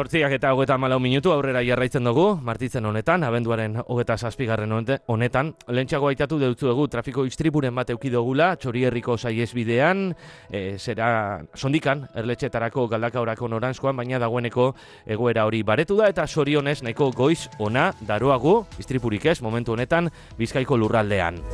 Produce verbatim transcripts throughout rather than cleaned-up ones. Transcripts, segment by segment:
Zortziak eta hogeita hamalau minutu aurrera jarraitzen dugu, martitzen honetan, abenduaren hogeita zazpigarren honetan. Lehentxeago aitatu deutzuegu trafiko istripuren bat eukidogula, Txorierriko saihesbidean, e, zera sondikan, erletxetarako galdakaorako noranzkoan, baina dagoeneko egoera hori baretu da, eta sorionez nahiko goiz ona daroagu, istripurik ez, momentu honetan, Bizkaiko lurraldean.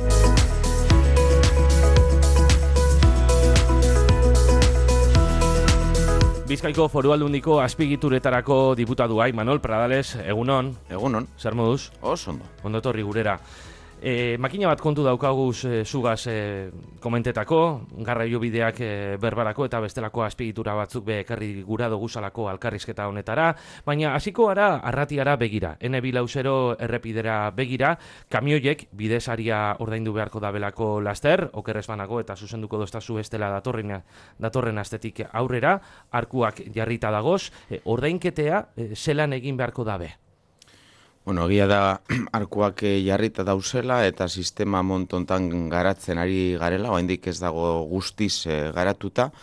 Bizkaiko Foru Aldundiko azpigituretarako diputatua Imanol Pradales, egunon. Egunon. Zer moduz? Oso ondo. Ondo etorri gurera. E, makina bat kontu daukaguz e, zugaz e, komentetako, garraio bideak e, berbarako eta bestelako azpigitura batzuk be ekarri gura doguzalako alkarrizketa honetara, baina hasiko gara arratiara begira, ene bilauzero errepidera begira, kamioiek bidesaria ordaindu beharko dabelako laster, okerrez banago eta zuzenduko doztazu bestela datorren, datorren astetik aurrera, arkuak jarrita dagoz, e, ordainketea e, zelan egin beharko dabe? Bueno, egia da arkuak jarrita dauzela eta sistema montontan garatzen ari garela, oraindik ez dago guztiz e, garatuta,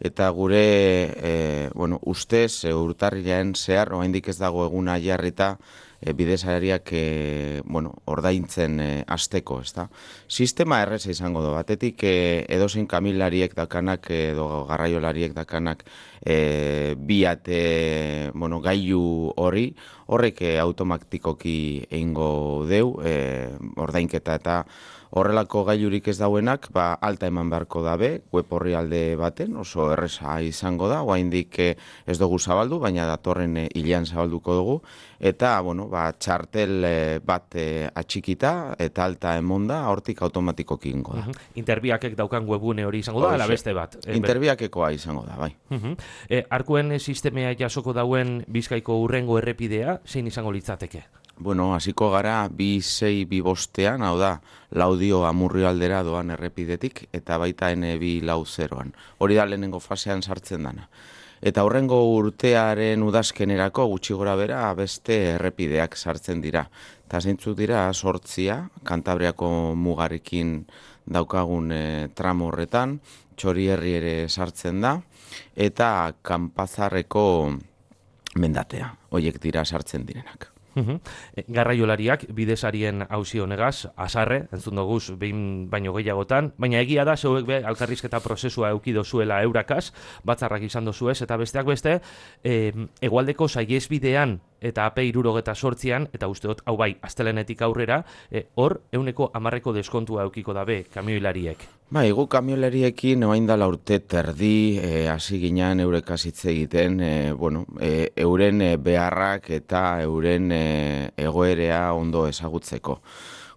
eta gure e, bueno, ustez e, urtarrilean zehar oraindik ez dago eguna jarrita e, bidesariak e, bueno, ordaintzen e, hasteko, ezta. Sistema erreza izango da, batetik e, edozein kamilariek dakanak edo garraiolariek dakanak e, biat e, bueno, gailu hori, horrek e, automatikoki egingo deu, e, ordainketa eta horrelako gailurik ez dauenak, ba, alta eman beharko dabe, web horri alde baten, oso erreza izango da, oraindik e, ez dugu zabaldu, baina datorren e, hilean zabalduko dugu, eta, bueno, ba, txartel e, bat e, atxikita eta alta emonda, hortik automatikoki ingo da. Uh-huh. Interbiakek daukan webune hori izango da, ala beste bat? E, Interbiakekoa izango da, bai. Uh-huh. e, arkuen sistemea jasoko dauen Bizkaiko urrengo errepidea, zein izango litzateke? Bueno, hasiko gara bi sei bi bostean, hau da, Laudio Amurrio aldera doan errepidetik, eta baita ene bi lau zeroan. Hori da lehenengo fasean sartzen dana. Eta horrengo urtearen udazkenerako gutxi gora bera beste errepideak sartzen dira. Eta zeintzuk dira, sortzia, Kantabriako mugarekin daukagun e, tramo horretan, Txorierri ere sartzen da, eta Kanpazarreko mendatea, horiek dira sartzen direnak. Uhum. Garraiolariak bidesarien auzi honegaz, azarre, entzun doguz behin baino gehiagotan, baina egia da, zeuek be, alkarrizketa prozesua eukido zuela eurakaz, batzarrak izan dozuez, eta besteak beste, e, egualdeko saihesbidean eta A P hirurogeta sortzian, eta usteot, hau bai, astelenetik aurrera, e, hor, euneko hamarreko deskontua eukiko dabe kamioilariek. Bai, gu kamioilariekin oain dala urte terdi, hasi e, ginean eurekaz hitz egiten, e, bueno, e, euren e, beharrak eta euren e, egoerea ondo ezagutzeko.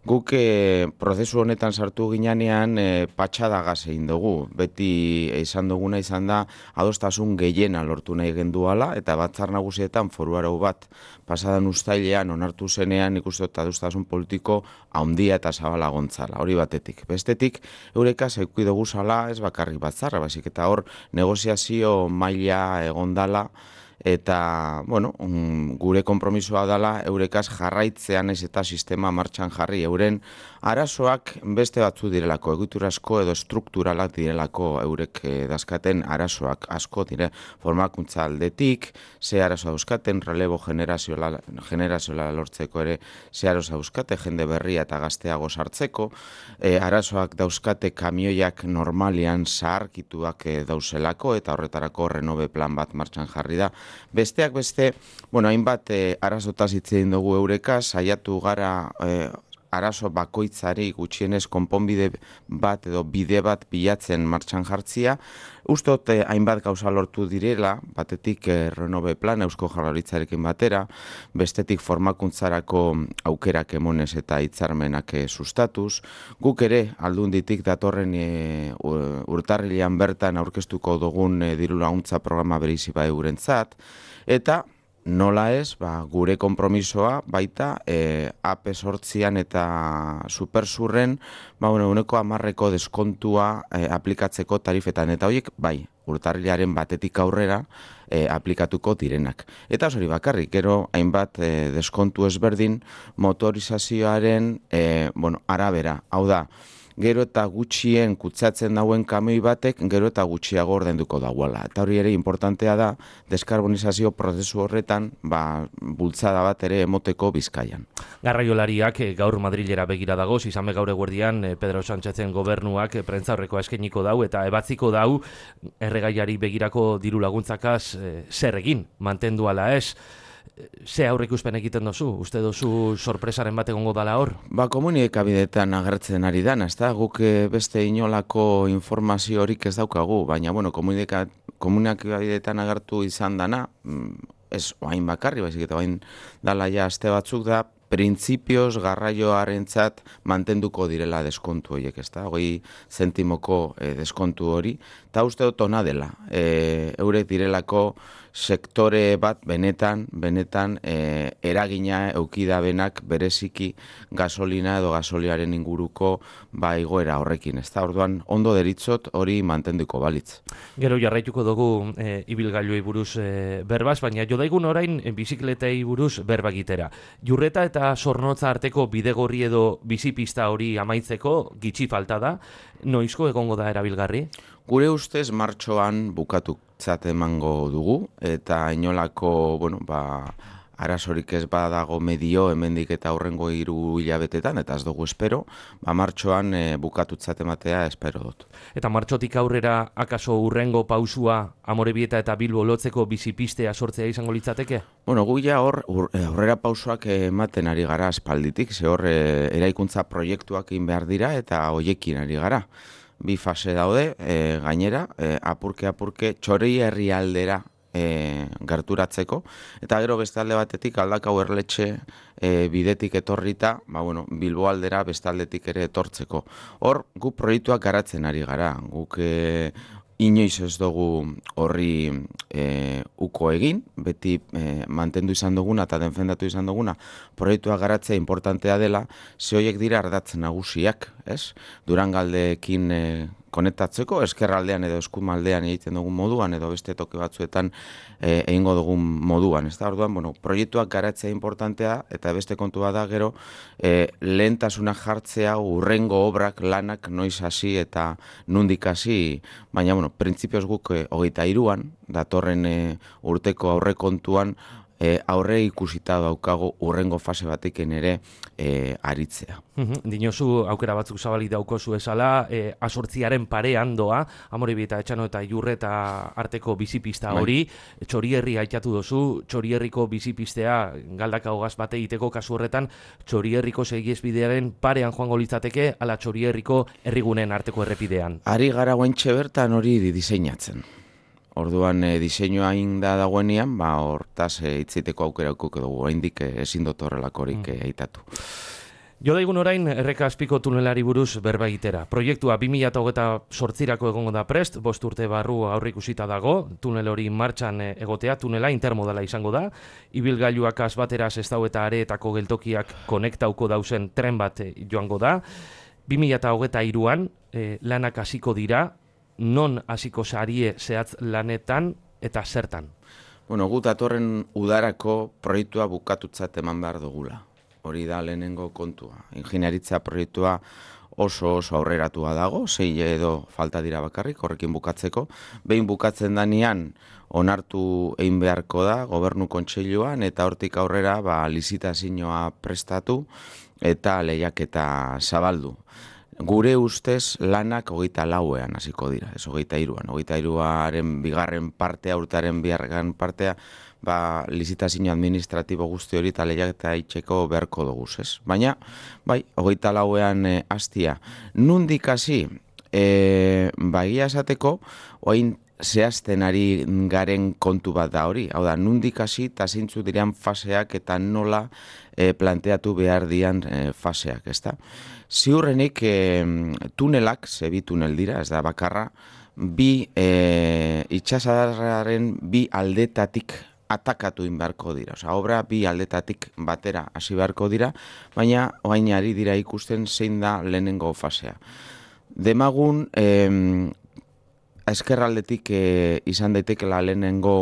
Guk e, prozesu honetan sartu ginean e, patxadagaz egin dugu. Beti izan duguna izan da adostasun gehiena lortu nahi genduala eta batzar nagusietan foru arau bat pasadan uztailean onartu zenean ikusten dut adostasun politiko handia eta zabala gontzala. Hori batetik. Bestetik eurekaz eduki dugu zala ez bakarrik batzarra, baizik eta hor negoziazio maila egondala. Eta, bueno, um, gure konpromisoa dela eurekaz jarraitzean ez eta sistema martxan jarri. Euren arazoak beste batzu direlako, egiturazko edo strukturalak direlako eurek eh, dazkaten arazoak asko dire formakuntza aldetik, ze arazoa dauzkaten, relebo generazioa, generazioa lortzeko ere, ze arazoa dauzkate, jende berria eta gazteago sartzeko, e, arazoak dauzkate kamioiak normalian zaharkituak e, dauzelako eta horretarako renobe plan bat martxan jarri da. Besteak beste, bueno, hainbat e, arazotaz hitz egin dugu eurekaz, saiatu gara e, arazo bakoitzari gutxienez konponbide bat edo bide bat bilatzen martxan jartzia. Ustot eh, hainbat gauza lortu direla, batetik eh, renove plan Eusko Jaurlaritzarekin batera, bestetik formakuntzarako aukerak emonez eta hitzarmenak eh, sustatuz. Guk ere aldunditik datorren eh, urtarrilean bertan aurkeztuko dugun eh, diru laguntza programa bereizi bai eurentzat, eta nola ez, ba, gure konpromisoa baita e, A P sortzian eta supersurren ba, uneko hamarreko deskontua e, aplikatzeko tarifetan. Eta horiek, bai, urtarrilaren batetik aurrera e, aplikatuko direnak. Eta hori bakarrik, gero hainbat e, deskontu ezberdin motorizazioaren e, bueno, arabera. Hau da, gero eta gutxien kutsatzen dauen kamioi batek, gero eta gutxiago ordainduko dagoela. Eta hori ere importantea da, deskarbonizazio prozesu horretan, ba, bultzada bat ere emoteko Bizkaian. Garraiolariak gaur Madrilera begira dagoz, izan gaur eguerdian Pedro Sánchezen gobernuak prentzaurrekoa eskainiko dau eta ebatziko dau erregaiari begirako diru laguntzakaz e, zer egin, mantendu ala ez. Ze aurreikuspen egiten dozu? Uste dozu sorpresaren bat egongo dala hor? Ba, komunikabideetan agertzen ari dana, ezta? Guk beste inolako informazio horik ez daukagu, baina, bueno, komunikabideetan agertu izan dana, ez oain bakarri, baizik eta oain dala ja aste batzuk da, printzipioz garraioarentzat mantenduko direla deskontu horiek, ezta? Hogei zentimoko eh, deskontu hori, eta uste dut ona dela. E, eurek direlako sektore bat benetan, benetan e, eragina eukidabenak bereziki gasolina edo gasoliaren inguruko ba igoera horrekin, ezta? Orduan ondo deritzot hori mantenduko balitz. Gero jarraituko dugu e, ibilgailuei buruz e, berbaz, baina jodaigun orain e, bizikletei buruz berba egitera. Jurreta eta Zornotza arteko bidegorri edo bizipista hori amaitzeko gitxi falta da, noizko egongo da erabilgarri? Gure ustez martxoan bukatutzat emango dugu, eta inolako, bueno, ba, arazorik ez badago medio hemendik eta aurrengo hiru hilabetetan, eta ez dugu espero, ba, martxoan e, bukatutzat ematea espero dut. Eta martxotik aurrera akaso urrengo pausua Amorebieta eta Bilbo lotzeko bizipistea sortzea izango litzateke? Bueno, gu ja hor aurrera pausoak ematen ari gara aspalditik, ze hor e, eraikuntza proiektuak egin behar dira eta hoiekin ari gara. Bi fase daude, e, gainera, e, apurke-apurke txori herrialdera e, gerturatzeko, eta gero beste alde batetik Aldakao Erletxe e, bidetik etorrita, ba, bueno, Bilbo aldera beste aldetik ere etortzeko. Hor, gu proiektuak garatzen ari gara, guk e, inoiz ez dugu horri e, uko egin, beti e, mantendu izan duguna eta defendatu izan duguna, proiektua garatzea importantea dela, ze horiek dira ardatz nagusiak, ez? Durangaldeekin e, konektatzeko, eskerraldean edo eskumaldean egiten dugun moduan, edo beste toki batzuetan e, egingo dugun moduan. Ez da, orduan, bueno, proiektuak garatzea importantea, eta beste kontua da gero, e, lehentasuna jartzea urrengo obrak lanak noiz hasi eta nundik hasi, baina, bueno, printzipioz guk e, hogeita hiruan, datorren e, urteko aurrekontuan, E, aurre ikusita daukago urrengo fase batekin ere e, aritzea. Uhum, dinozu aukera batzuk zabali daukozu esala, e, asortziaren parean doa, Amorebieta, Etxano eta Jurreta arteko bizipista hori, bai. Txorierri aitatu dozu, Txorierriko bizipistea Galdakao gaz bate egiteko kasu horretan, Txorierriko segiesbidearen parean joango litzateke, ala Txorierriko herrigunen arteko errepidean. Ari gara guaintxe bertan hori diseinatzen. Orduan e, diseinua inda dagoenean, ba hortaz e, hitzeiteko aukera aukeko dugu, oraindik e, ezin dut horrelakorik mm. e, eitatu. Jo daigun orain Erreka Azpiko tunelari buruz berba egitera. Proiektua bi mila hogeita zortzirako egongo da prest, bost urte barru aurreikusita dago, tunel hori martxan egotea, tunela intermodala izango da, ibilgailuak azbatera Sestao eta Areetako geltokiak konektauko dauzen tren bat joango da, bi mila hogeita hiruan e, lanak hasiko dira, non hasiko sarie zehatz lanetan eta zertan? Bueno, gut datorren udarako proiektua bukatutzat eman behar dugula. Hori da lehenengo kontua. Ingeniaritza proiektua oso oso aurreratua dago, sei edo falta dira bakarrik, horrekin bukatzeko. Behin bukatzen danean onartu egin beharko da Gobernu Kontseiluan eta hortik aurrera ba, lizitazioa prestatu eta lehiaketa zabaldu. Gure ustez lanak hogeita lauean hasiko dira, ez hogeita hiruan. Hogeita hiruaren bigarren partea, urtaren bigarren partea, ba, lizitazio administratibo guzti hori eta lehiaketa itxeko beharko dugu, ez? Baina, bai, hogeita lauean e, hastia. Nundik hasi, e, bagia esateko, oain zehazten ari garen kontu bat da hori. Hau da, nundik hasi eta zeintzu diren faseak eta nola e, planteatu behar dian e, faseak, ezta? Ziurrenik e, tunelak, zebi tunel dira, ez da bakarra, bi e, itxasadarraren bi aldetatik atakatu inbarko dira. Osa, obra bi aldetatik batera hasi beharko dira, baina oain ari dira ikusten zein da lehenengo fasea. Demagun, e, eskerraldetik e, izan daitekela lehenengo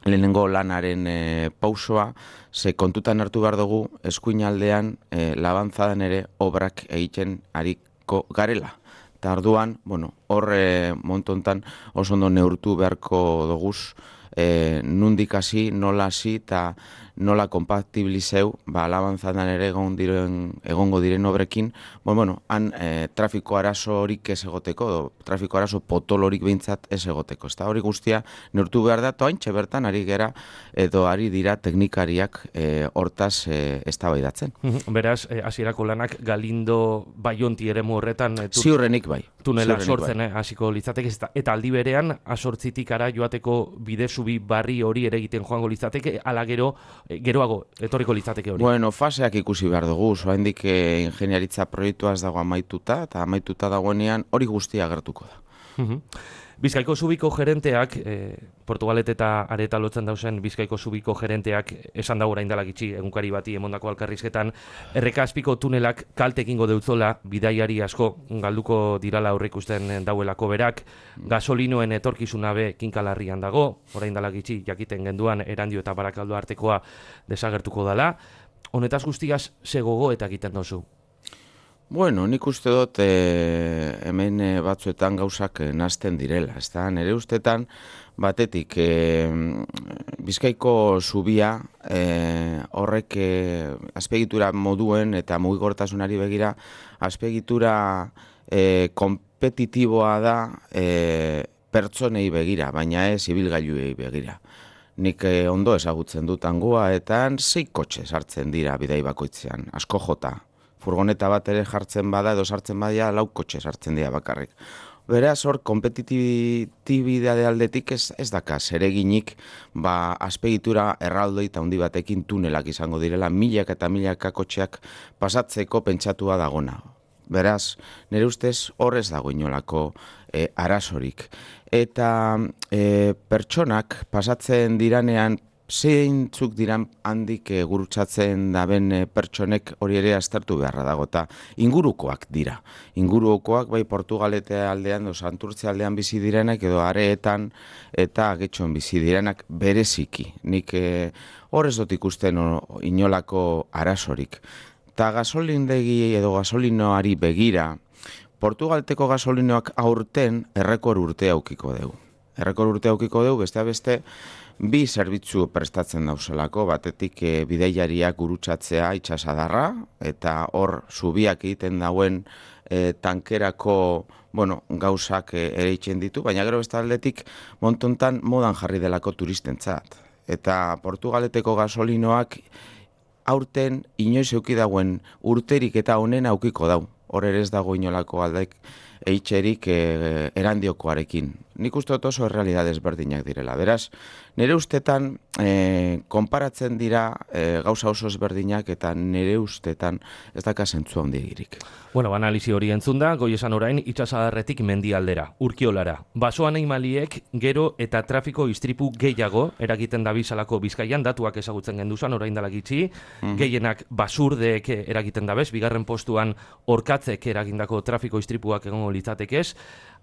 lehenengo lanaren e, pausoa, ze kontutan hartu behar dugu eskuinaldean e, labanzadan ere obrak egiten ari ibiliko garela. Eta orduan, bueno, hor e, montontan oso ondo neurtu beharko doguz, e, nundik hasi, nola hasi, eta nola kompatibilizeu, ba, alabantzatan ere egon diren, egongo diren obrekin, bon, bueno, han e, trafiko arazo horik ez egoteko, do, trafiko arazo potolorik behintzat ez egoteko. Eta hori guztia neurtu behar da, toaintxe bertan ari gera, edo ari dira teknikariak e, hortaz e, eztabaidatzen. Beraz, hasierako lanak Galindo Baionti eremu horretan e, ziurrenik bai. Tunela ziurrenik sortzen, bai. eh, hasiko litzateke, eta aldi berean, asortzitik ara joateko bide zubi barri hori ere egiten joango litzateke, ala gero, e, geroago, etorriko litzateke hori. Bueno, faseak ikusi behar dugu, oraindik e, ingeniaritza proiektua ez dago amaituta, eta amaituta dagoenean hori guztia agertuko da. Bizkaiko Zubiko gerenteak, e, Portugalet eta Areta lotzen dauzen Bizkaiko Zubiko gerenteak esan da orain dela gitxi egunkari bati emondako alkarrizketan, erreka azpiko tunelak kalte egingo deutzola, bidaiari asko galduko dirala aurreikusten dauelako berak, gasolinoen etorkizuna be kinkalarrian dago, orain dela gitxi jakiten genduan Erandio eta Barakaldo artekoa desagertuko dela. Honetaz guztiaz ze gogoeta egiten dozu? Bueno, nik uste dut e, hemen e, batzuetan gauzak e, nazten direla. Ez da, nire ustetan batetik e, Bizkaiko zubia e, horrek e, azpiegitura moduen eta mugikortasunari begira azpiegitura e, kompetitiboa da e, pertsonei begira, baina ez ibilgailuei begira. Nik e, ondo ezagutzen dut hangoa eta sei kotxe sartzen dira bidai bakoitzean, asko jota. Furgoneta bat ere jartzen bada edo sartzen badia lau kotxe sartzen dira bakarrik. Beraz, hor, kompetitibidade aldetik ez, ez daka zereginik ba, azpegitura erraldoi eta handi batekin tunelak izango direla, milak eta milaka kotxeak pasatzeko pentsatua dagona. Beraz, nire ustez hor ez dago inolako e, arazorik. Eta e, pertsonak pasatzen diranean zeintzuk diran handik e, gurutzatzen daben e, pertsonek hori ere aztertu beharra dago, eta ingurukoak dira. Ingurukoak bai Portugalete aldean, do Santurtze aldean bizi direnak, edo Areetan eta Getxon bizi direnak bereziki. Nik e, hor ez dut ikusten o, inolako arazorik. Eta gasolindegi edo gasolinoari begira, Portugalteko gasolinoak aurten errekor urte aukiko dugu. Errekor urte aukiko dugu, beste beste, bi zerbitzu prestatzen dauzelako, batetik e, bidaiariak gurutzatzea itsasadarra, eta hor zubiak egiten dauen e, tankerako bueno, gauzak e, ere itzen ditu, baina gero beste aldetik montontan modan jarri delako turistentzat. Eta Portugaleteko gasolinoak aurten inoiz euki dauen urterik eta honen aukiko dau. Hor ere ez dago inolako aldek eitxerik e, Erandiokoarekin. Nik uste dut oso errealidad ezberdinak direla. Beraz, nire ustetan e, konparatzen dira e, gauza oso ezberdinak eta nire ustetan ez daka zentzu handigirik. Bueno, analizi hori entzun da, goi esan orain itsasadarretik mendialdera, Urkiolara. Baso animaliek gero eta trafiko istripu gehiago eragiten dabiltzalako Bizkaian, datuak ezagutzen genduzan orain dela gitxi, mm-hmm. Gehienak basurdeek eragiten dabez, bigarren postuan orkatzek eragindako trafiko istripuak egongo litzatekez.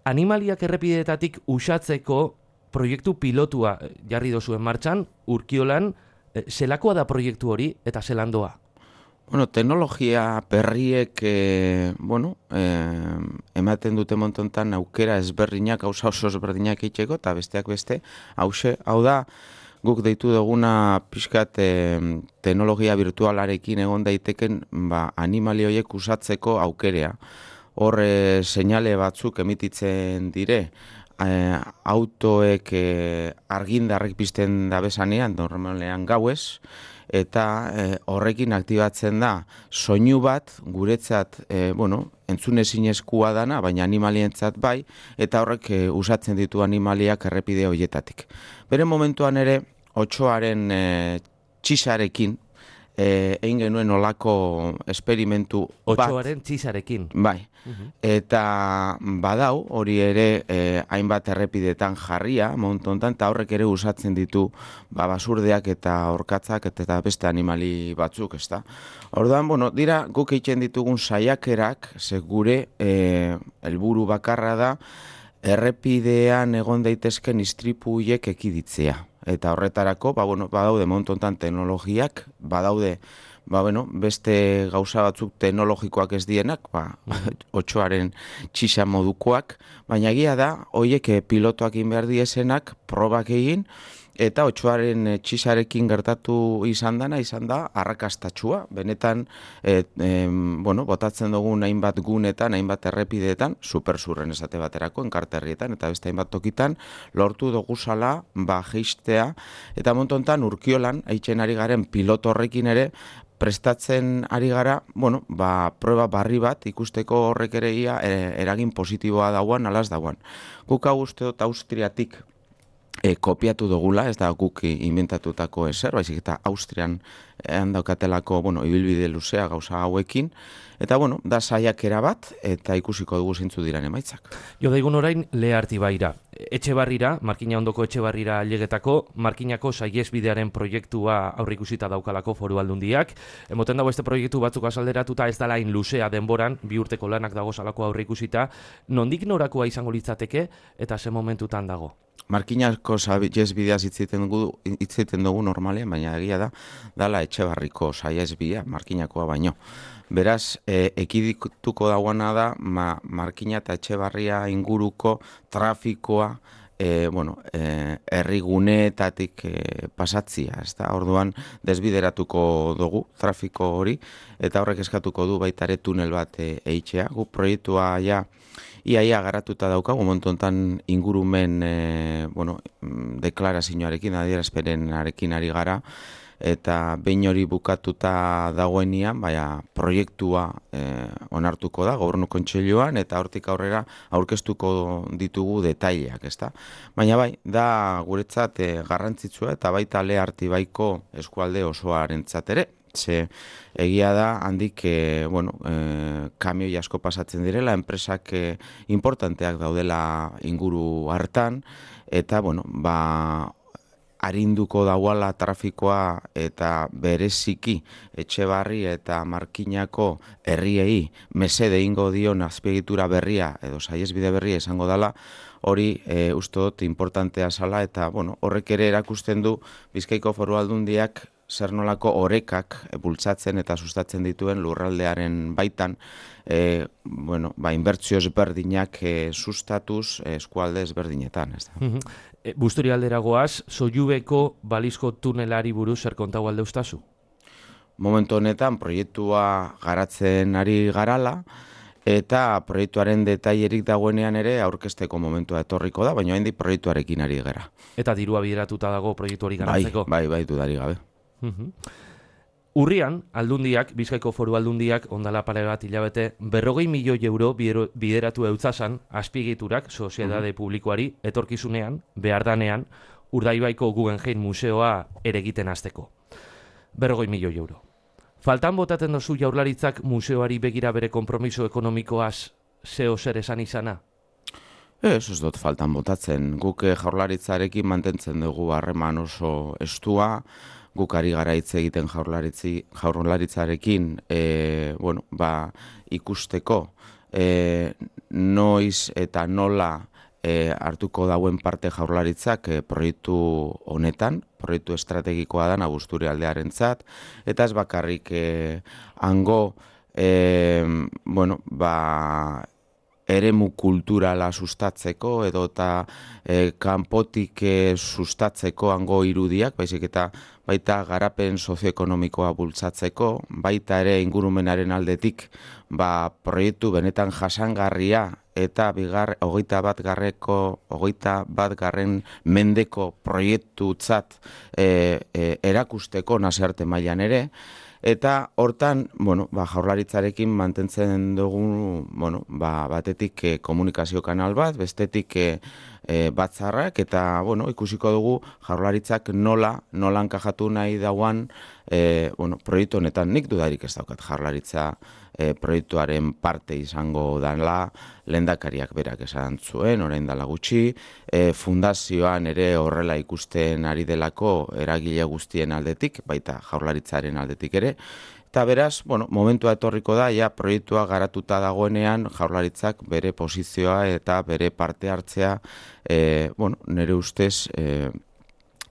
Animaliak errepideetatik usatzeko proiektu pilotua jarri dozuen martxan, Urkiolan, zelakoa da proiektu hori eta zelandoa? Bueno, teknologia berriek eh, bueno, eh, ematen dute montontan aukera ezberdinak, gauza oso ezberdinak itxeko, eta besteak beste, hause, hau da, guk deitu duguna pixkat eh, teknologia virtualarekin egon daiteken ba, animali horiek usatzeko aukerea. Hor eh, seinale batzuk emititzen dire, eh, autoek eh, argindarrek pizten dabezanean, normalean gauez, eta e, horrekin aktibatzen da soinu bat guretzat e, bueno, entzunezinezkoa dana, baina animalientzat bai, eta horrek e, usatzen ditu animaliak errepide horietatik. Bere momentuan ere, otsoaren e, txisarekin, e, egin genuen olako esperimentu bat. Otsoaren txisarekin. Bai. Uh-huh. Eta badau, hori ere eh, hainbat errepidetan jarria, montontan, eta horrek ere usatzen ditu ba, basurdeak eta orkatzak eta beste animali batzuk, ezta. Orduan, bueno, dira guk egiten ditugun saiakerak, ze gure eh, helburu bakarra da, errepidean egon daitezken istripuiek ekiditzea. Eta horretarako, ba, bueno, badaude montontan teknologiak, badaude ba, bueno, beste gauza batzuk teknologikoak ez dienak, ba, otsoaren txisa modukoak, baina egia da, hoiek pilotoak egin behar diesenak, probak egin, eta otsoaren txisarekin gertatu izan dana, izan da, arrakastatxua. Benetan, et, em, bueno, botatzen dugun hainbat gunetan, hainbat errepideetan, supersurren esate baterako, enkarterrietan, eta beste hainbat tokitan, lortu dugu zala, ba, geistea, eta montontan urkiolan, haitzen ari garen piloto horrekin ere, prestatzen ari gara, bueno, ba, prueba barri bat, ikusteko horrek ere ia, e, eragin positiboa dauan, alaz dauan. Guk hau uste dut Austriatik, E, kopiatu dugula, ez da guk inventatutako ezer, baizik eta Austrian handaukatelako, bueno, ibilbide luzea gauza hauekin, eta, bueno, da saiakera bat, eta ikusiko dugu zeintzu diran emaitzak. Jo daigun orain Lehartibaira. Etxebarrira, Markina ondoko Etxebarrira ailegetako, Markinako saihesbidearen proiektua aurreikusita daukalako Foru Aldundiak. Emoten dago este proiektu batzuk azalderatuta ez dela hain luzea denboran, bi urteko lanak dago salako aurreikusita. Nondik norakoa izango litzateke eta ze momentutan dago? Markinako saihesbideaz hitz egiten dugu normalean, baina egia da, dala Etxebarriko saihesbidea, Markinakoa baino. Beraz, e, ekidituko dauana da, ma, Markina eta Etxebarria inguruko trafikoa, e, bueno, e, herriguneetatik e, pasatzia, ez da, orduan desbideratuko dugu trafiko hori, eta horrek eskatuko du baita ere tunel bat e, eitzea. Gu proiektua ja, Iaia garatuta daukagu, montontan ingurumen e, bueno, deklarazioarekin, adierazpenarekin ari gara, eta behin hori bukatuta dagoenian, baina proiektua e, onartuko da, Gobernu Kontseiluan, eta hortik aurrera aurkeztuko ditugu detaileak, ezta? Baina bai, da guretzat e, garrantzitsua eta baita Lehartibaiko eskualde osoarentzat ere. Ze egia da handik e, bueno, e, kamioi asko pasatzen direla, enpresak e, importanteak daudela inguru hartan, eta bueno, ba, arinduko dauala trafikoa eta bereziki Etxebarri eta Markinako herriei mesede ingo dion azpiegitura berria edo saihesbide berria izango dela, hori e, uste dut importantea zala, eta bueno, horrek ere erakusten du Bizkaiko Foru Aldundiak zer nolako orekak bultzatzen eta sustatzen dituen lurraldearen baitan, e, bueno, ba, inbertsio ezberdinak e, sustatuz eskualde ezberdinetan, ez da. Mm-hmm. E, Busturi aldera goaz, Sollubeko balizko tunelari buruz zer kontau alde ustazu? Momentu honetan proiektua garatzen ari garala, eta proiektuaren detailerik dagoenean ere aurkezteko momentua etorriko da, baina hendik proiektuarekin ari gara. Eta dirua bideratuta dago proiektu hori garatzeko? Bai, bai, bai, dudari gabe. Uhum. Urrian, Aldundiak, Bizkaiko Foru Aldundiak, ondala pare bat hilabete, berrogei milioi euro bideratu eutzasan azpiegiturak soziedade publikoari etorkizunean, behardanean, Urdaibaiko Guggenheim Museoa ere egiten hasteko. Berrogei milioi euro. Faltan botaten dozu Jaurlaritzak museoari begira bere konpromiso ekonomikoaz zeo zer esan izana? Ez, ez dut faltan botatzen. Guk Jaurlaritzarekin mantentzen dugu harreman oso estua, guk ari gara hitz egiten Jaurlaritzarekin e, bueno, ba, ikusteko e, noiz eta nola e, hartuko dauen parte Jaurlaritzak e, proiektu honetan, proiektu estrategikoa da Busturi aldearentzat, eta ez bakarrik e, hango e, bueno, ba, eremu kulturala sustatzeko edo eta e, kanpotik e, sustatzeko hango irudiak, baizik eta baita garapen sozioekonomikoa bultzatzeko, baita ere ingurumenaren aldetik ba, proiektu benetan jasangarria eta bigar, hogeita bat garreko, hogeita bat garren mendeko proiektutzat e, e, erakusteko nazioarte mailan ere. Eta hortan, bueno, ba, Jaurlaritzarekin mantentzen dugu, bueno, ba, batetik e, komunikazio kanal bat, bestetik e, e, batzarrak, eta bueno, ikusiko dugu Jaurlaritzak nola, nola enkajatu nahi dauan e, bueno, proiektu honetan. Nik dudarik ez daukat Jaurlaritza e, proiektuaren parte izango dela, lehendakariak berak esan zuen, orain dela gutxi, e, fundazioan ere horrela ikusten ari delako eragile guztien aldetik, baita Jaurlaritzaren aldetik ere. Eta beraz, bueno, momentua etorriko da, ja proiektua garatuta dagoenean Jaurlaritzak bere posizioa eta bere parte hartzea, e, bueno, nire ustez e,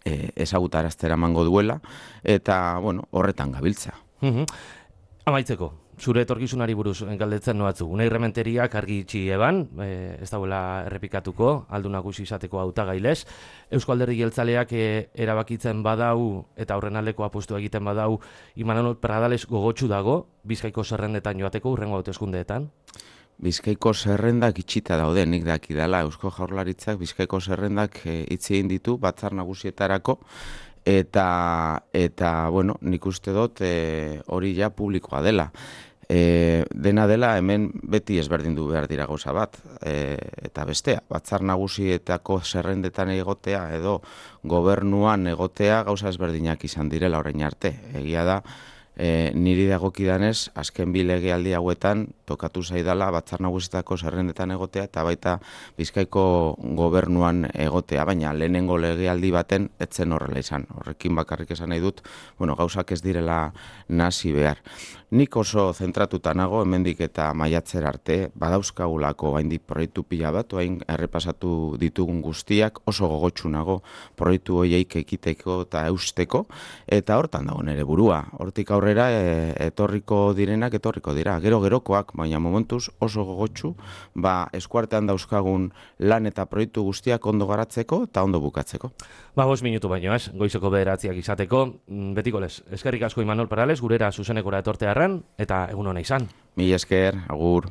e, ezagutaraztera emango duela, eta bueno, horretan gabiltza. Mhm. Amaitzeko, zure etorkizunari buruz galdetzen noatzu. Unai Rementeriak argi itxi eban, e, ez dauela errepikatuko, aldu nagusi izateko hautagailez. Eusko Alderdi Jeltzaleak e, erabakitzen badau eta horren aldeko apustu egiten badau, Imanol Pradales gogotsu dago, Bizkaiko zerrendetan joateko hurrengo hauteskundeetan. Bizkaiko zerrendak itxita daude, nik dakidala, Eusko Jaurlaritzak Bizkaiko zerrendak e, itzi egin ditu batzar nagusietarako, eta, eta bueno, nik uste dut e, hori ja publikoa dela. E, dena dela hemen beti ezberdindu behar dira gauza bat, e, eta bestea, batzar nagusietako zerrendetan egotea edo gobernuan egotea gauza ezberdinak izan direla orain arte. Egia da, E, niri dagokidanez, azken bi legealdi hauetan tokatu zaidala batzar nagusietako zerrendetan egotea eta baita Bizkaiko gobernuan egotea, baina lehenengo legealdi baten etzen horrela izan. Horrekin bakarrik esan nahi dut, bueno, gauzak ez direla nasi behar. Nik oso zentratuta nago, hemendik eta maiatzer arte, badauzkagulako haindik proiektu pila bat, hain errepasatu ditugun guztiak, oso gogotsu nago proiektu horiek ekiteko eta eusteko, eta hortan dago nere burua. Hortik aurrera e, etorriko direnak etorriko dira, gero gerokoak, baina momentuz oso gogotsu, ba eskuartean dauzkagun lan eta proiektu guztiak ondo garatzeko eta ondo bukatzeko. Ba, bost minutu baino ez, goizeko bederatziak izateko, betiko lez, eskerrik asko Imanol Pradales, gurera zuzenekora etortearren, eta egun hona izan. Mila esker, agur.